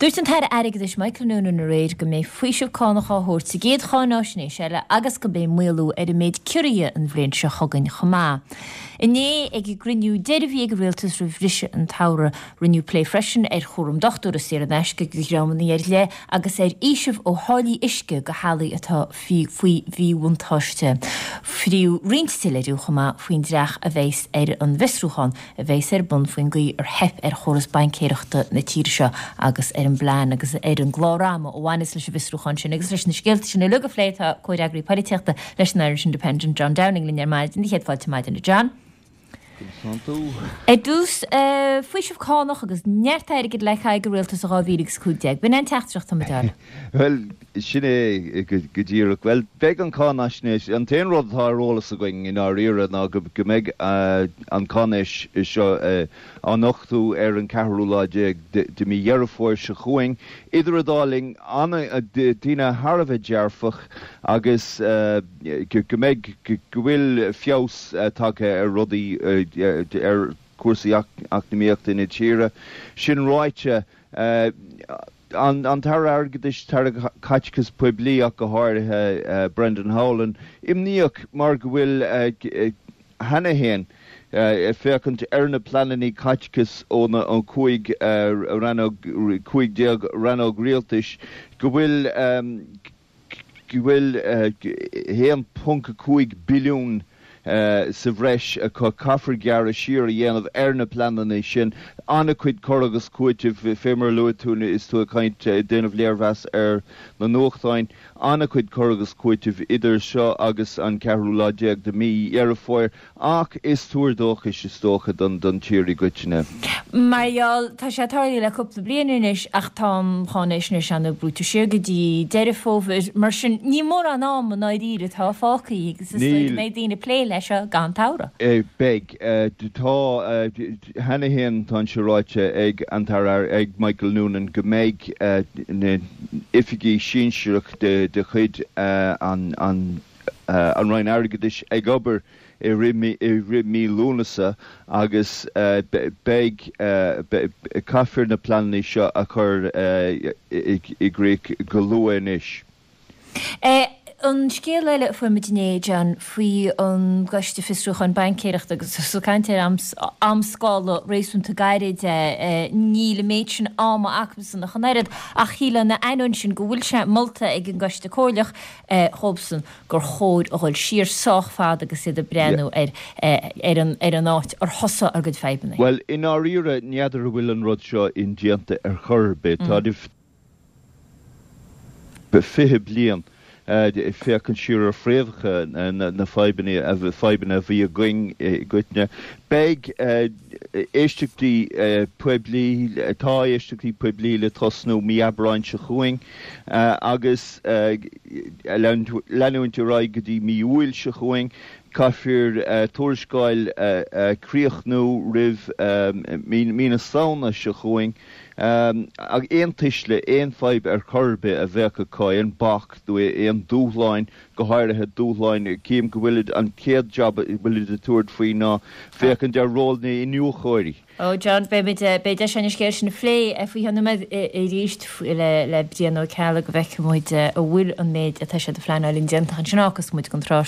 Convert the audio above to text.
Dúirt an tAire Airgeadais Michael Noonan aréir go mbeidh faoiseamh cánach á thabhairt sa gcéad cháináisnéis eile agus go mbeidh maolú ar an méid ciorruithe an bhliain seo chugainn chomh maith. Inné, ag an gcruinniú deiridh a bhí ag an Rialtas roimh bhriseadh an tsamhraidh, rinneadh plé freisin ar chúram dochtúra saor in aisce do dhreamanna ar leith agus ar fhaoiseamh ó tháillí uisce do theaghlaigh atá faoi mhíbhuntáiste. Fríodh roinnt soiléiriú chomh maith faoin dreach a bheas ar an bhfiosrúchán a bheas ar bun faoin gcaoi ar theip ar chóras baincéireachta na tíre seo agus ar an bplean agus ar an gclár ama a bhaineas leis an bhfiosrúchán sin agus leis na scéalta sin uilig a phlé tá comhfhreagraí polaitíochta leis an Irish Independent, John Downing linn ar maidin. Céad fáilte maidin a John. Ar dtús, faoiseamh cánach agus neart airgid le caitheamh ag an rialtas i 2015. B'in é an teachtaireacht atá muid a fháil. Bhuel, sin é go díreach. Bhuel, beidh an cháinaisnéis, an t-aon rud atá ar eolas againn i ndáiríre ná go mbeidh an cháinéis seo á nochtadh ar an ceathrú lá déag de mhí Dheireadh Fómhair seo chugainn. Idir an dá linn, daoine thar a bheith dearfach agus go mbeidh, go bhfuil feabhas tagtha ar rudaí, ar chúrsaí eacnamaíochta na tíre. Sin ráite, an tAire Airgeadais, tAire Caiteachais Poiblí ach go háirithe, Brendan Howlin, imníoch mar go bhfuil cheana féin ag féachaint ar na pleananna caiteachais ó na 15 rannóg, 15 rannóg rialtais, go bhfuil go bhfuil 1.5 billiún sa bhreis acu. Caithfear gearradh siar a dhéanamh ar na pleananna sin. An-chuid cur agus cúitimh, fé mar a luaigh tú is tú ag caint, ag déanamh léirmheas ar na nuachtáin. An-chuid cur agus cúitimh idir seo agus an ceathrú lá déag de mhí Dheireadh Fómhair. Ach is tuar dóchais, is dócha, don tír i gcoitinne. Mar gheall, tá sé tarlaithe le cúpla bliain anois ach tá an cháinaisnéis ana brúite siar go dtí Deireadh Fómhair, mar sin ní mórán ama i ndáiríre atá fágtha agus is dóigh go mbeidh daoine ag plé leis seo gan tsamhradh. Beidh. Tá, cheana féin tá sé ráite ag an tAire, ag Michael Noonan go mbeidh na oifigigh sinsearach de chuid an an Roinn Airgeadais ag obair i rith mí Lúnasa agus beidh, caithfear na pleananna seo a chur i gcrích go luath anois. An scéal eile a fuair muid inné, John, faoi an gCoiste Fiosrúcháin Baincéireachta agus tú ag caint ar amscála réasúnta gairid, níl an méid sin ama acusan ach an oiread, ach shílfeá ina ainneoin sin go bhfuil sé molta ag an gCoiste Comhairleach dhóibhsan gur chóir a dhul siar sách fada agus iad ag breathnú ar ar an ar an áit ar thosaigh ár gcuid fadhbanna. Bhuel, i ndáiríre, n'fheadar an bhfuil an rud seo indéanta ar chor ar bith. Tá 20 bliain ag féachaint siar ar fhréamhacha na fadhbanna, fadhbanna a bhí againn i gcoitinne. Beidh éisteachtaí poiblí, tá éisteachtaí poiblí le tosnú mí Aibreáin seo chugainn agus leanúint ar aghaidh go dtí mí Iúil seo chugainn. Caithfear tuarascáil a chríochnú roimh mí na Samhna seo chugainn. Aon tuisle, aon fadhb ar chor ar bith a bheadh acu, aon bac nó aon dúshláin, go háirithe dúshláin, cím go bhfuilid, an chéad jab a bhfuilid ag tabhairt faoi ná féachaint ar ról na n-iniúchóirí. Ó John, beidh, beidh deis againn an scéal sin a phlé faoi cheann nóiméad arís le Brian Ó Ceallaigh go bhfeicfidh muid an bhfuil an méid atá siad a phleanáil indéanta ansin agus muid den tráth.